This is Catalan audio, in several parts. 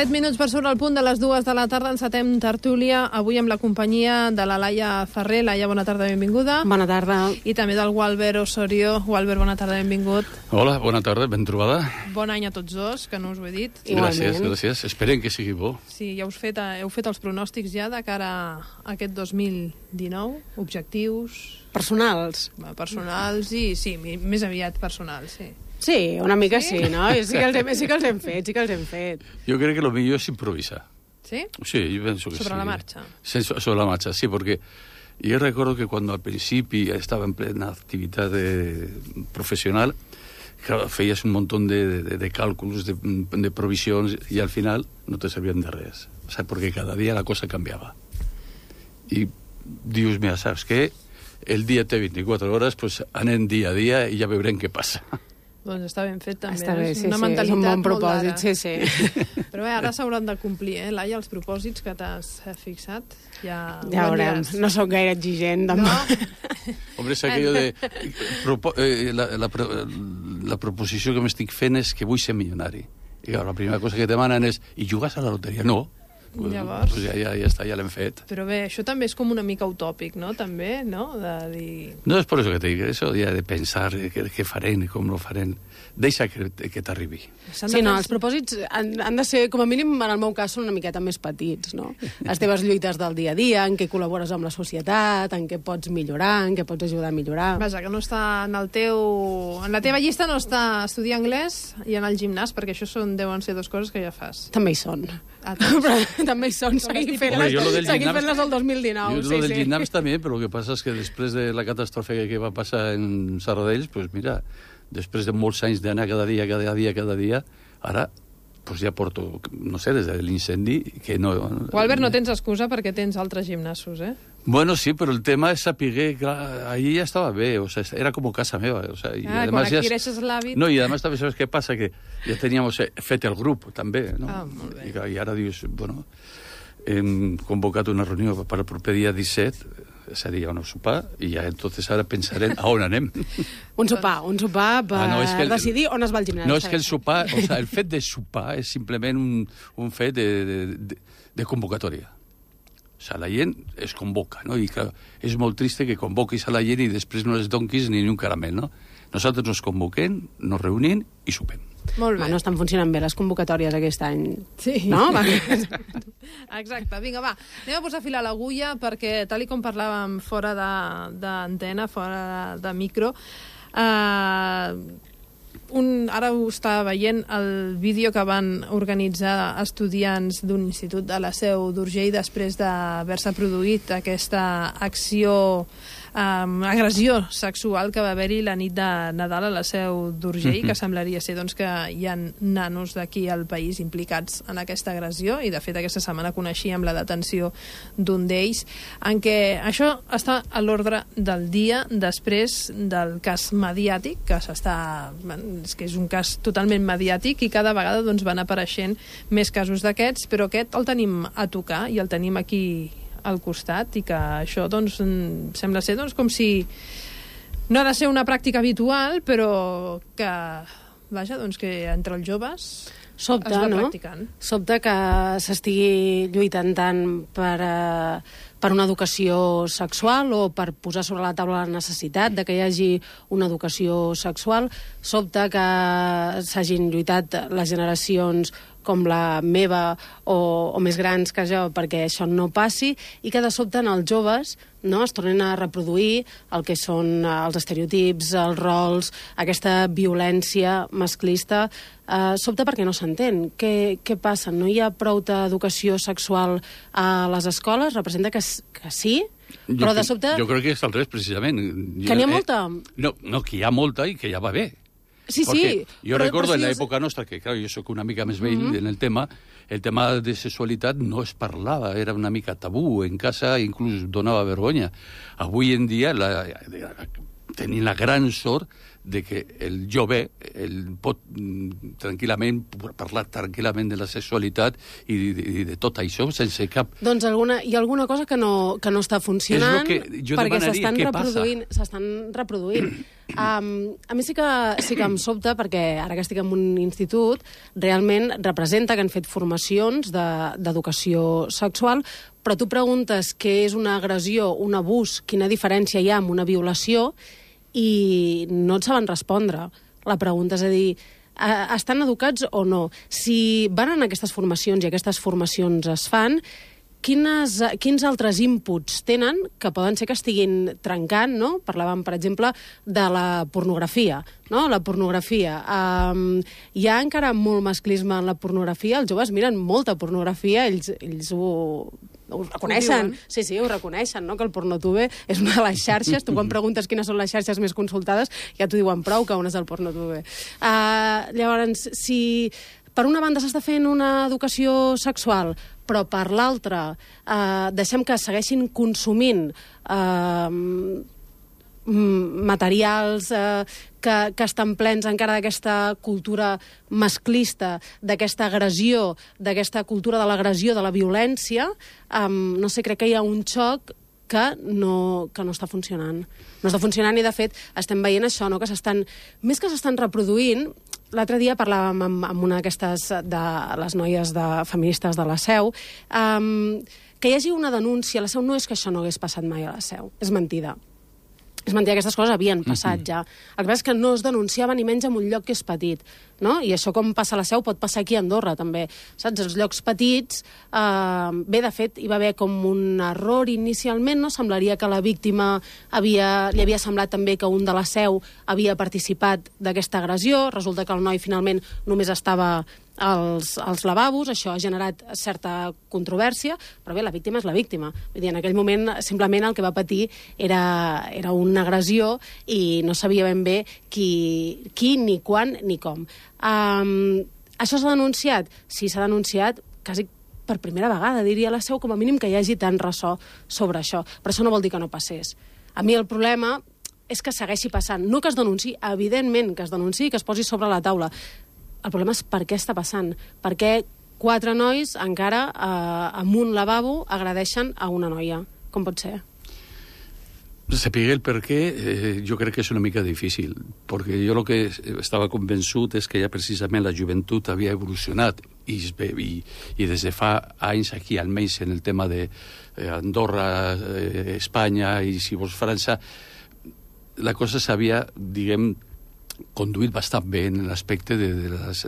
7 minuts per sobre el punt de les 2 de la tarda, encetem tertúlia, avui amb la companyia de la Laia Ferrer. Laia, bona tarda, benvinguda. Bona tarda. I també del Walber Osorio. Walber, bona tarda, benvingut. Hola, bona tarda, ben trobada. Bon any a tots dos, que no us ho he dit. Gràcies, gràcies. Esperem que sigui bo. Sí, ja heu fet els pronòstics ja de cara a aquest 2019, objectius... Personals. Personals i, sí, més aviat personals, sí. Sí, una mica sí, no? Sí que els hem fet. Yo creo que lo mío es improvisar. ¿Sí? Sí, yo pienso que Sobre sí. la marcha. Sí, sobre la marcha, sí, porque yo recuerdo que cuando al principio estaba en plena actividad profesional, claro, feies un montón de cálculos, de provisions, y al final no te servían de res. O sea, porque cada día la cosa cambiaba. Y dius, mira, ¿sabes qué? El dia té 24 hores, pues anem dia a dia i ja veurem què passa. Doncs està ben fet, també. Està bé, sí, una sí, mentalitat és un bon molt propòsit, d'ara. sí. Però bé, ara s'hauran de complir, Laia, els propòsits que t'has fixat. Ja veurem. No sóc gaire exigent, no? Hombre, és aquello de... La proposició que m'estic fent és que vull ser milionari. I clar, la primera cosa que et demanen és i jugues a la loteria? No. Llavors... Pues ja està, ja l'hem fet. Però bé, això també és com una mica utòpic, no? També, no? De dir... No és per això que te dic, això ja de pensar què farem i com lo farem. Deixa que t'arribi. Sí, no, els propòsits han de ser, com a mínim, en el meu cas, són una miqueta més petits, no? Les teves lluites del dia a dia, en què col·labores amb la societat, en què pots millorar, en què pots ajudar a millorar... Vaja, que no està en la teva llista no està estudiar anglès i anar al gimnàs, perquè això deuen ser dues coses que ja fas. També hi són. Però també hi són, seguir fent-les el 2019. Jo lo del gimnàs també, però el que passa és que després de la catàstrofe que va passar en Serradell, pues mira, després de molts anys d'anar cada dia, ara pues ja porto, no sé, des de l'incendi que no... Albert, no tens excusa perquè tens altres gimnasos, Bueno, sí, però el tema és saber, clar, ahí ja estava bé, o sea, era com casa meva. O sea, quan adquireixes l'hàbit... No, i además també sabes què passa, que ja teníamos fet el grup, també, no? Ah, molt bé. I ara dius, bueno, hem convocat una reunió per al proper dia 17, seria un sopar, i ja entonces ara pensarem a on anem. Un sopar per decidir on es va al gimnàs. No, és que el sopar, o sea, el fet de sopar és simplement un fet de convocatòria. O sea, la gent es convoca, no? I clar, és molt trist que convoquis a la gent i després no les donquis ni un caramel, no? Nosaltres nos convoquem, nos reunim i sopem. Molt bé. No estan funcionant bé les convocatòries aquest any. Sí. No? Exacte. Vinga, va. Anem a posar fil a l'agulla perquè, tal com parlàvem fora d'antena, fora de micro, ara ho està veient el vídeo que van organitzar estudiants d'un institut de la Seu d'Urgell després d'haver-se produït aquesta acció, agressió sexual que va haver-hi la nit de Nadal a la Seu d'Urgell, que semblaria ser doncs, que hi ha nanos d'aquí al país implicats en aquesta agressió, i de fet aquesta setmana coneixíem la detenció d'un d'ells, en què això està a l'ordre del dia després del cas mediàtic, que és un cas totalment mediàtic i cada vegada doncs, van apareixent més casos d'aquests, però aquest el tenim a tocar i el tenim aquí al costat, i que això doncs, sembla ser doncs, com si no ha de ser una pràctica habitual, però que, vaja, doncs, que entre els joves sobta, es va no? practicant. Sobta que s'estigui lluitant tant per una educació sexual o per posar sobre la taula la necessitat de que hi hagi una educació sexual. Sobta que s'hagin lluitat les generacions com la meva o més grans que jo perquè això no passi, i que de sobte en els joves no, es tornen a reproduir el que són els estereotips, els rols, aquesta violència masclista. Sobte perquè no s'entén. Què passa? No hi ha prou d'educació sexual a les escoles? Representa que sí, però de sobte... Jo crec que és al revés, precisament. Que n'hi ha molta? No, que hi ha molta i que ja va bé. Sí, porque yo recuerdo en la època nostra, que claro, jo soc una mica més vell en el tema de sexualitat no es parlava, era una mica tabú, en casa inclús donava vergonya. Avui en dia tenim la gran sort de que el jove pot tranquil·lament parlar tranquil·lament de la sexualitat i de tot això sense cap... Doncs hi ha alguna cosa que no està funcionant perquè s'estan reproduint. A mi sí que em sobta, perquè ara que estic en un institut, realment representa que han fet formacions d'educació sexual, però tu preguntes què és una agressió, un abús, quina diferència hi ha amb una violació, i no et saben respondre. La pregunta és a dir, estan educats o no? Si van a aquestes formacions i aquestes formacions es fan, quins altres inputs tenen que poden ser que estiguin trencant, no? Parlàvem, per exemple, de la pornografia, no? La pornografia. Hi ha encara molt masclisme en la pornografia, els joves miren molta pornografia, ells ho reconeixen. Sí, ho reconeixen, no? Que el Pornotube és una de les xarxes. Tu quan preguntes quines són les xarxes més consultades, ja t'ho diuen prou que on és el Pornotube. Llavors, si per una banda s'està fent una educació sexual, però per l'altra deixem que segueixin consumint materials que estan plens encara d'aquesta cultura masclista, d'aquesta agressió, d'aquesta cultura de l'agressió, de la violència, no sé, crec que hi ha un xoc que no està funcionant. No està funcionant i, de fet, estem veient això, no? Que més que s'estan reproduint. L'altre dia parlàvem amb una d'aquestes de les noies feministes de la Seu, que hi hagi una denúncia a la Seu no és que això no hagués passat mai a la Seu, és mentida. És mentida, aquestes coses havien passat ja. El que passa és que no es denunciava ni menys en un lloc que és petit, no? I això, com passa a la Seu, pot passar aquí a Andorra, també. Saps? Els llocs petits, bé, de fet, hi va haver com un error inicialment, no? Semblaria que la víctima li havia semblat també que un de la Seu havia participat d'aquesta agressió, resulta que el noi finalment només estava als lavabos, això ha generat certa controvèrsia, però bé, la víctima és la víctima. Vull dir, en aquell moment simplement el que va patir era una agressió i no sabia ben bé qui, ni quan, ni com. Això s'ha denunciat? Sí, s'ha denunciat quasi per primera vegada, diria la Seu, com a mínim que hi hagi tant ressò sobre això. Però això no vol dir que no passés. A mi el problema és que segueixi passant. No que es denunciï, evidentment que es denunciï, que es posi sobre la taula. El problema és per què està passant. Per què 4 nois encara en un lavabo agredeixen a una noia? Com pot ser? Saber el per què jo crec que és una mica difícil, perquè jo el que estava convençut és que ja precisament la joventut havia evolucionat i des de fa anys aquí, almenys en el tema d'Andorra, Espanya i, si vols, França, la cosa s'havia, diguem, conduït bastant bé en l'aspecte de les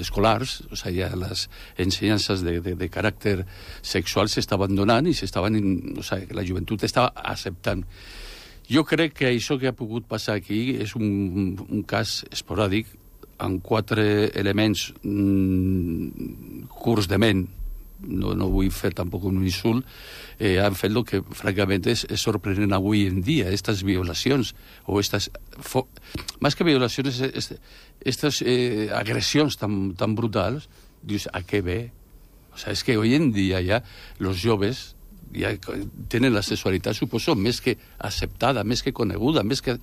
escolars, o sigui, les ensenyances de caràcter sexual s'estaven donant i o sigui, la joventut estava acceptant. Jo crec que això que ha pogut passar aquí és un cas esporàdic amb 4 elements curts de ment, no vull fer tampoc un insult, han fet el que francament és sorprenent avui en dia, estas violacions o estas, más que violacions, estas agressions tan brutals. Dius, ¿a qué ve? O sea, es que hoy en día ya los joves ja tenen la sexualitat, suposo, més que acceptada, més que coneguda, més que...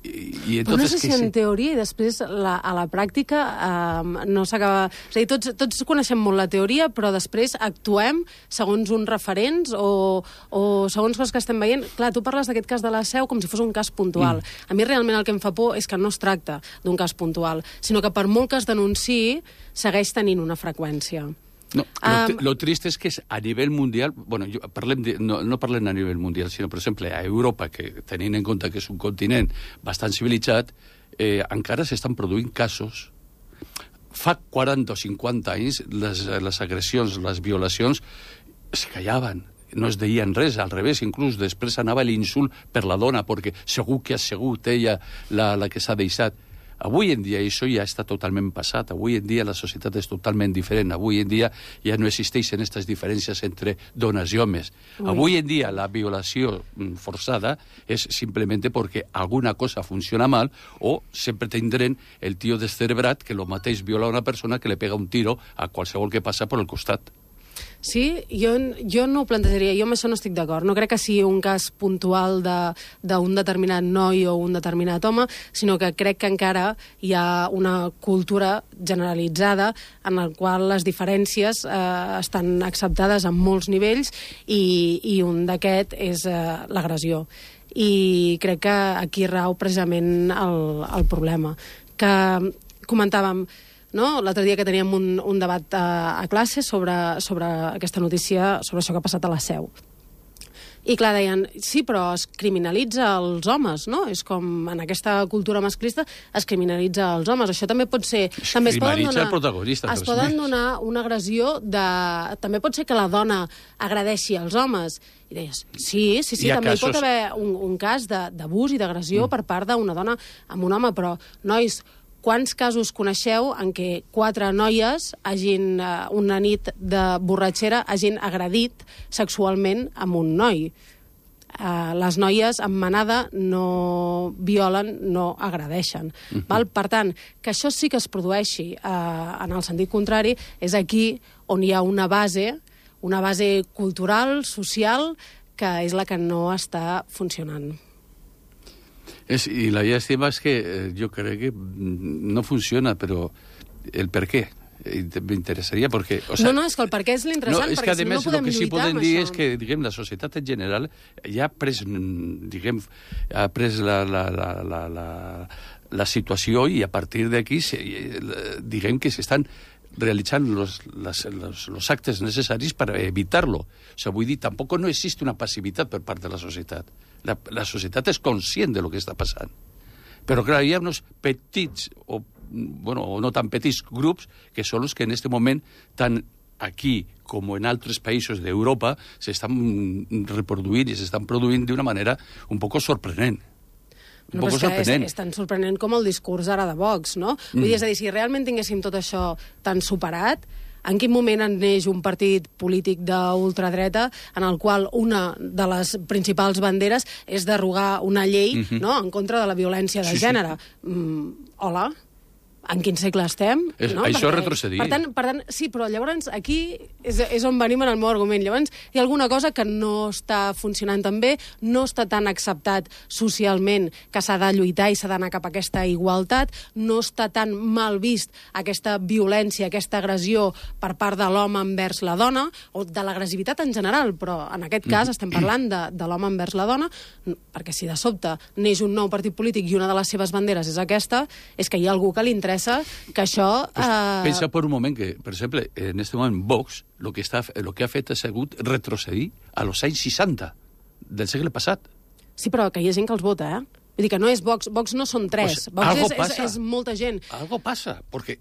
Però no sé si en teoria i després a la pràctica no s'acaba... És a dir, tots coneixem molt la teoria, però després actuem segons uns referents o segons coses que estem veient. Clar, tu parles d'aquest cas de la Seu com si fos un cas puntual. A mi realment el que em fa por és que no es tracta d'un cas puntual, sinó que per molt que es denunciï, segueix tenint una freqüència. No, lo trist és que a nivell mundial, bueno, no parlem a nivell mundial, sinó, per exemple, a Europa, que tenint en compte que és un continent bastant civilitzat, encara s'estan produint casos. Fa 40 o 50 anys les agressions, les violacions, es callaven. No es deien res, al revés, inclús després anava l'insult per la dona, perquè segur que ha sigut ella la que s'ha deixat. Avui en dia això ja està totalment passat. Avui en dia la societat és totalment diferent. Avui en dia ja no existeixen aquestes diferències entre dones i homes. Avui en dia la violació forçada és simplement perquè alguna cosa funciona mal o sempre tindrem el tio descerebrat que el mateix viola una persona que le pega un tiro a qualsevol que passa per el costat. Sí, jo no ho plantejaria, jo amb això no estic d'acord. No crec que sigui un cas puntual d'un determinat noi o un determinat home, sinó que crec que encara hi ha una cultura generalitzada en la qual les diferències estan acceptades en molts nivells i un d'aquest és l'agressió. I crec que aquí rau precisament el problema. Que comentàvem, no? L'altre dia que teníem un debat a classe sobre aquesta notícia, sobre això que ha passat a la Seu. I clar, deien, sí, però es criminalitza els homes, no? És com en aquesta cultura masclista es criminalitza els homes. Això també pot ser... També criminalitza el protagonista. Es poden donar una agressió de... També pot ser que la dona agredeixi els homes. I deies, sí, també hi pot haver un cas d'abús i d'agressió per part d'una dona amb un home, però, nois, quants casos coneixeu en què 4 noies una nit de borratxera hagin agredit sexualment amb un noi? Les noies amb manada no violen, no agredeixen. Val? Per tant, que això sí que es produeixi en el sentit contrari, és aquí on hi ha una base cultural, social, que és la que no està funcionant. Y la llástima es que yo creo que no funciona, pero el per què me interesaria perquè... O sea, no, és que el per què és l'interessant, no, és perquè que, a més, si no podem lluitar amb això. El que sí podem dir és que, diguem, la societat en general ja ha pres, diguem, la situació i a partir d'aquí, diguem que s'estan realitzant los actes necessaris per evitar-lo. O sea, vull dir, tampoc no existe una passivitat per part de la societat. La societat és conscient de lo que està passant. Però, clar, hi ha uns petits, o no tan petits grups, que són els que en aquest moment, tant aquí com en altres països d'Europa, s'estan reproduint i s'estan produint d'una manera un poc sorprenent. No, però és tan sorprenent com el discurs ara de Vox, no? Vull dir, és a dir, si realment tinguéssim tot això tan superat, en quin moment neix un partit polític d'ultradreta en el qual una de les principals banderes és derogar una llei no? En contra de la violència de gènere? Hola? En quin segle estem? No? Això és retrocedir. Per tant, sí, però llavors aquí és on venim en el meu argument. Llavors hi ha alguna cosa que no està funcionant tan bé, no està tan acceptat socialment que s'ha de lluitar i s'ha d'anar cap a aquesta igualtat, no està tan mal vist aquesta violència, aquesta agressió per part de l'home envers la dona, o de l'agressivitat en general, però en aquest cas estem parlant de l'home envers la dona, perquè si de sobte neix un nou partit polític i una de les seves banderes és aquesta, és que hi ha algú que li interessa que això... Pensa per un moment que, per exemple, en aquest moment Vox lo que ha fet ha sigut retrocedir a los anys 60 del segle passat. Sí, però que hi ha gent que els vota, eh? Vull dir que no és Vox, Vox no són 3, Vox és molta gent. Algo passa, perquè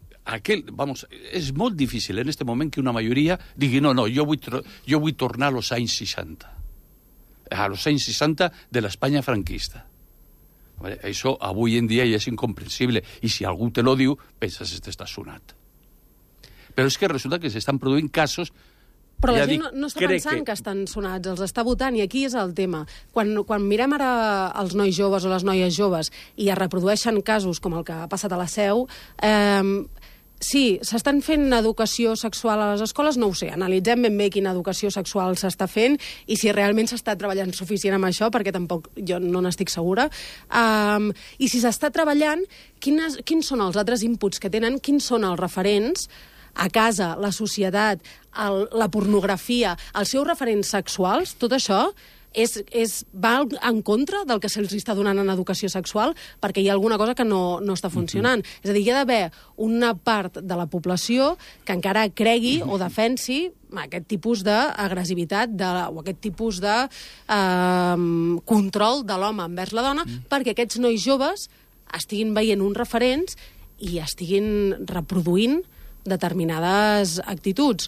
és molt difícil en aquest moment que una majoria digui no, jo vull tornar a los anys 60. A los anys 60 de l'Espanya franquista. Això avui en dia ja és incomprensible i si algú te lo diu, penses que està sonat. Però és que resulta que s'estan produint casos... Però la gent no està pensant que estan sonats, els està votant, i aquí és el tema. Quan mirem ara els nois joves o les noies joves i es reprodueixen casos com el que ha passat a la Seu, sí, s'estan fent educació sexual a les escoles, no ho sé, analitzem ben bé quina educació sexual s'està fent i si realment s'està treballant suficient amb això, perquè tampoc jo no n'estic segura. I si s'està treballant, quins són els altres inputs que tenen, quins són els referents a casa, la societat, la pornografia, els seus referents sexuals, tot això va en contra del que se'ls està donant en educació sexual, perquè hi ha alguna cosa que no està funcionant. És a dir, hi ha d'haver una part de la població que encara cregui o defensi aquest tipus d'agressivitat o aquest tipus de control de l'home envers la dona, perquè aquests nois joves estiguin veient uns referents i estiguin reproduint determinades actituds.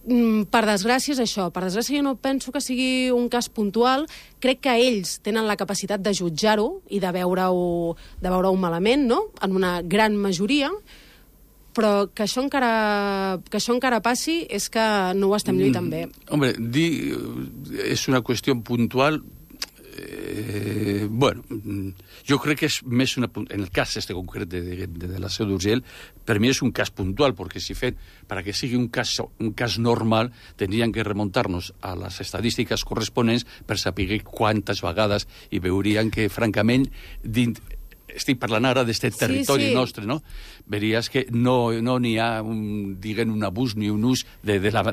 Per desgràcia és això. Per desgràcia jo no penso que sigui un cas puntual. Crec que ells tenen la capacitat de jutjar-ho i de veure-ho malament, no? En una gran majoria, però que això encara passi és que no ho estem lluitant bé. Hombre, és una qüestió puntual. Bueno, jo crec que és més en el cas este concret de la Seu d'Urgell, per mi és un cas puntual, perquè si fem, para que sigui un cas normal, tindríem que remuntar-nos a les estadístiques corresponents per saber quantes vegades, i veuríem que, francament, estic parlant ara d'aquest territori nostre, no? Veries que no n'hi ha, un abús ni un ús del tema.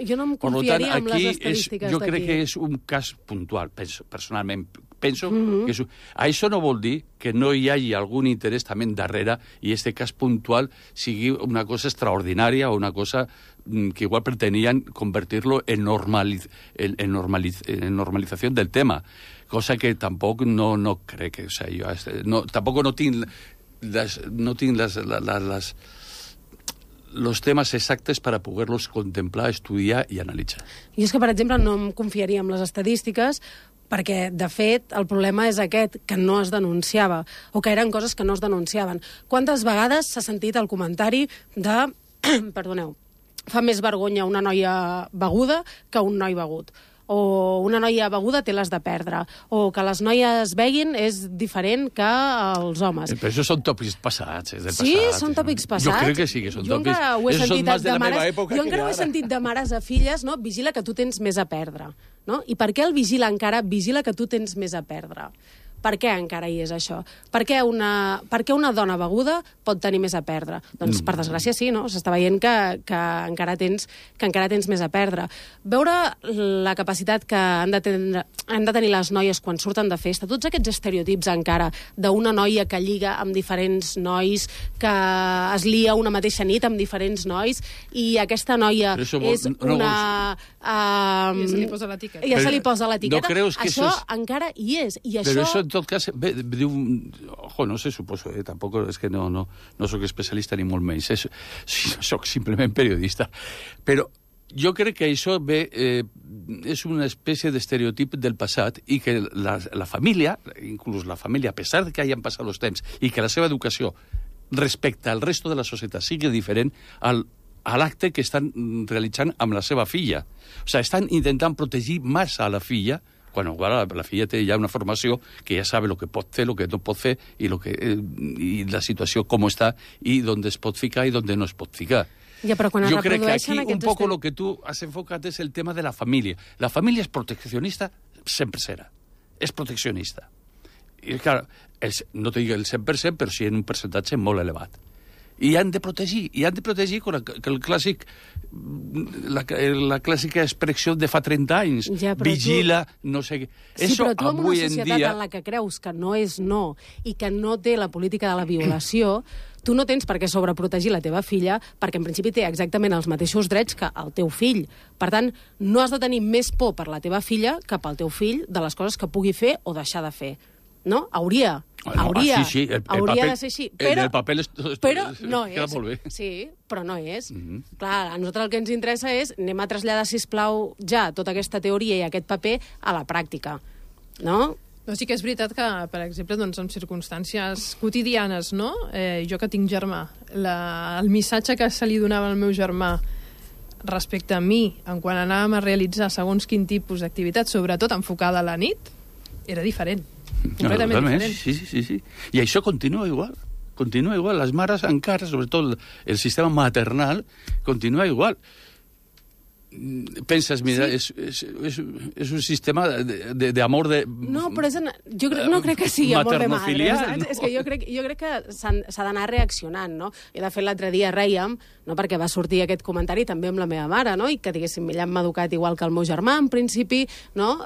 Jo no em confiaria en les estadístiques d'aquí. Jo crec que és un cas puntual, personalment. Penso que això no vol dir que no hi hagi algun interès també darrere i aquest cas puntual sigui una cosa extraordinària o una cosa que igual pretenien convertir-lo en normalització del tema. Cosa que tampoc no crec que... O sigui, tampoc no tinc los temes exactes per a poder-los contemplar, estudiar i analitzar. Jo és que, per exemple, no em confiaria en les estadístiques perquè, de fet, el problema és aquest, que no es denunciava, o que eren coses que no es denunciaven. Quantes vegades s'ha sentit el comentari de... Perdoneu, fa més vergonya una noia beguda que un noi begut. O una noia beguda té les de perdre, o que les noies beguin és diferent que els homes. Però això són tòpics passats, Sí, són tòpics passats. Jo crec que sí, que són tòpics. Jo encara ho he sentit de mares a filles, no? Vigila que tu tens més a perdre. No? I per què el vigila encara? Vigila que tu tens més a perdre. Per què encara hi és això? Per què una dona beguda pot tenir més a perdre? Doncs, per desgràcia, sí, no? S'està veient que encara tens més a perdre. Veure la capacitat que han de tenir les noies quan surten de festa, tots aquests estereotips encara d'una noia que lliga amb diferents nois, que es lia una mateixa nit amb diferents nois, i aquesta noia és una... Ja se li posa l'etiqueta. Ja se li posa l'etiqueta. Això encara hi és. Però això, en tot cas, diu... Ojo, no sé, suposo, tampoc és que no soc especialista ni molt menys. Soc simplement periodista. Però jo crec que això és una espècie d'estereotip del passat i que la família, inclús la família, a pesar que hagin passat els temps i que la seva educació respecte al resto de la societat sigui diferent a l'acte que estan realitzant amb la seva filla. O sigui, estan intentant protegir més a la filla, quan la filla té ja una formació que ja sabe el que pot fer, el que no pot fer, i la situació com està, i on es pot ficar i on no es pot ficar. Ja, però quan jo crec que aquí un poc el que tu has enfocat és el tema de la família. La família és proteccionista, sempre serà. És proteccionista. I, clar, no te dic el 100%, però sí en un percentatge molt elevat. I han de protegir con el clàssic, la clàssica expressió de fa 30 anys. Ja, vigila, no sé què. Sí, però tu en una societat en la que creus que no és no i que no té la política de la violació, tu no tens per què sobreprotegir la teva filla perquè en principi té exactament els mateixos drets que el teu fill. Per tant, no has de tenir més por per la teva filla que pel teu fill de les coses que pugui fer o deixar de fer. No? Hauria de ser així. El paper però no és. Molt bé. Sí, però no és. Clar, a nosaltres el que ens interessa és anem a traslladar, sisplau, ja tota aquesta teoria i aquest paper a la pràctica. No? No, sí que és veritat que, per exemple, doncs, en circumstàncies quotidianes, no? Jo que tinc germà, el missatge que se li donava al meu germà respecte a mi, quan anàvem a realitzar segons quin tipus d'activitat, sobretot enfocada a la nit, era diferent. Completament diferent. Sí. I això continua igual. Les mares encara, sobretot el sistema maternal, continua igual. Penses, mira, és un sistema d'amor de... No, però no crec que sigui amor de madre. No? És que jo crec que s'ha d'anar reaccionant, no? I de fet l'altre dia rèiem, no, perquè va sortir aquest comentari també amb la meva mare, no? I que diguéssim, ella m'ha educat igual que el meu germà, en principi, no?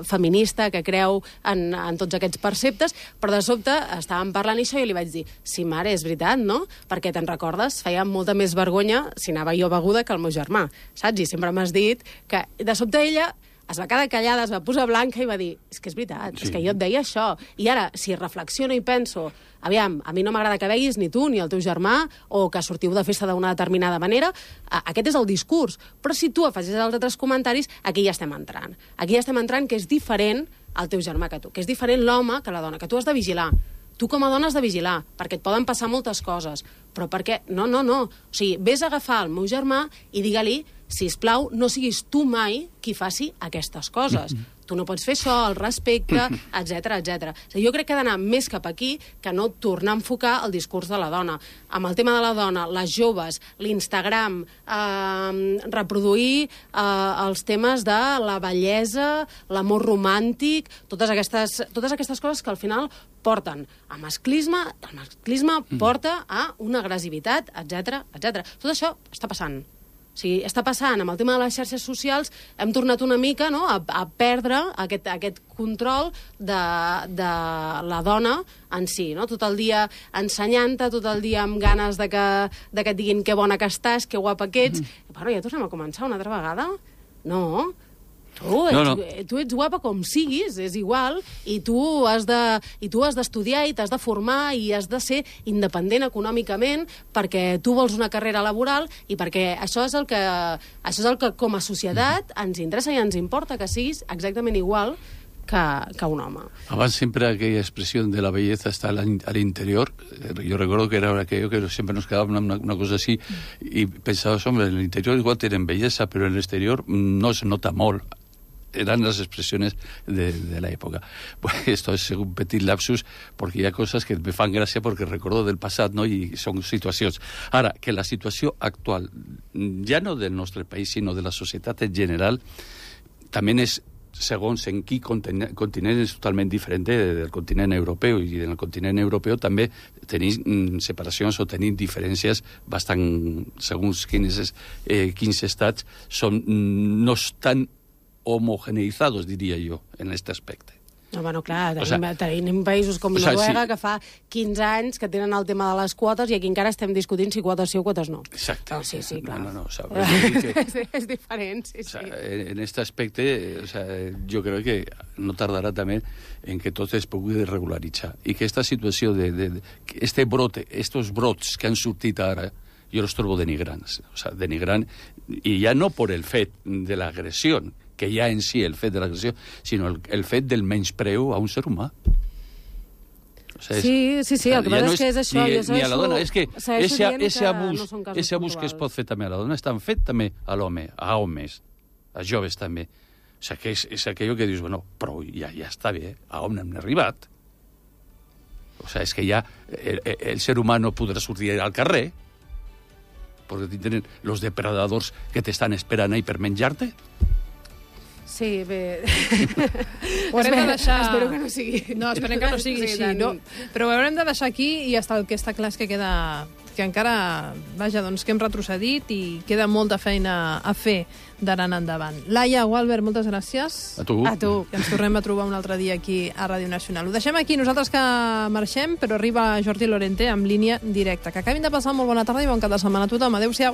Feminista, que creu en tots aquests perceptes, però de sobte estàvem parlant això i jo li vaig dir, sí, mare, és veritat, no? Perquè te'n recordes? Feia molta més vergonya si anava jo beguda que el meu germà, saps? I sempre m'has dit que de sobte ella es va quedar callada, es va posar blanca i va dir, és que és veritat, és que jo et deia això. I ara, si reflexiono i penso, aviam, a mi no m'agrada que beguis ni tu ni el teu germà, o que sortiu de festa d'una determinada manera, aquest és el discurs. Però si tu afegis els altres comentaris, aquí ja estem entrant. Aquí ja estem entrant que és diferent el teu germà que tu, que és diferent l'home que la dona, que tu has de vigilar. Tu com a dona has de vigilar, perquè et poden passar moltes coses. Però perquè... No. O sigui, vés a agafar el meu germà i digue-li, sisplau, no siguis tu mai qui faci aquestes coses. tu no pots fer això, el respecte, etc etc. Jo crec que ha d'anar més cap aquí que no tornar a enfocar el discurs de la dona. Amb el tema de la dona, les joves, l'Instagram, reproduir els temes de la bellesa, l'amor romàntic, totes aquestes coses que al final porten a masclisme, el masclisme porta a una agressivitat, etc etc. Tot això està passant. O sigui, està passant amb el tema de les xarxes socials, hem tornat una mica, no?, a perdre aquest control de la dona en si, no? Tot el dia ensenyant-te, tot el dia amb ganes de que et diguin que bona que estàs, que guapa que ets. Bueno, ja tornem a començar una altra vegada? No. Tu ets guapa com siguis, és igual, i tu has d'estudiar i t'has de formar i has de ser independent econòmicament perquè tu vols una carrera laboral i perquè això és el que com a societat ens interessa i ens importa, que siguis exactament igual que un home. Abans siempre aquella expresión de la belleza está al interior. Yo recuerdo que era aquello que siempre nos quedaba una cosa así y pensabas, hombre, en el interior igual tienen belleza, pero en el exterior no se nota molt. Eran las expresiones de la época. Pues esto es un petit lapsus, porque hi ha coses que me fan gràcia perquè recordo del passat, no? I són situacions. Ara, que la situació actual, ja no del nostre país, sinó de la societat en general, també és, segons en quin continent, és totalment diferent del continent europeu, i en el continent europeu també tenim separacions o tenim diferències bastant, segons quins estats, no estan homogeneizados, diria jo, en aquest aspecte. No, bueno, clar, tenim països com Noruega que fa 15 anys que tenen el tema de les quotes i aquí encara estem discutint si quotes sí o quotes no. Exacte. Sí, clar. No, és diferent, sí. En aquest aspecte, jo crec que no tardarà també en que tot es pugui regularitzar i que aquesta situació este brote, estos brots que han sortit ara, jo els trobo denigrants. Denigrant, i ja no per el fet de l'agressió, que ja en si el fet de l'agressió, sinó el fet del menyspreu a un ser humà. Sí, el que passa és que és això. Ni a la dona, és que ese abús que es pot fer també a la dona estan fet també a l'home, a homes, a joves també. O sigui, que és aquello que dius, bueno, però ja està bé, a on hem arribat? O sigui, és que ja el ser humà no podrà sortir al carrer perquè tenen els depredadors que t'estan esperant ahí per menjar-te. Sí, bé... Ho haurem de deixar... Espero que no sigui... No, esperem que no sigui així, no? Però ho haurem de deixar aquí i el que està clar és que queda... que encara, vaja, doncs que hem retrocedit i queda molta feina a fer d'ara en endavant. Laia, Walbert, moltes gràcies. A tu. I ens tornem a trobar un altre dia aquí a Ràdio Nacional. Ho deixem aquí, nosaltres que marxem, però arriba Jordi Lorente amb línia directa. Que acabin de passar molt bona tarda i bon cap de setmana a tothom. Adéu-siau.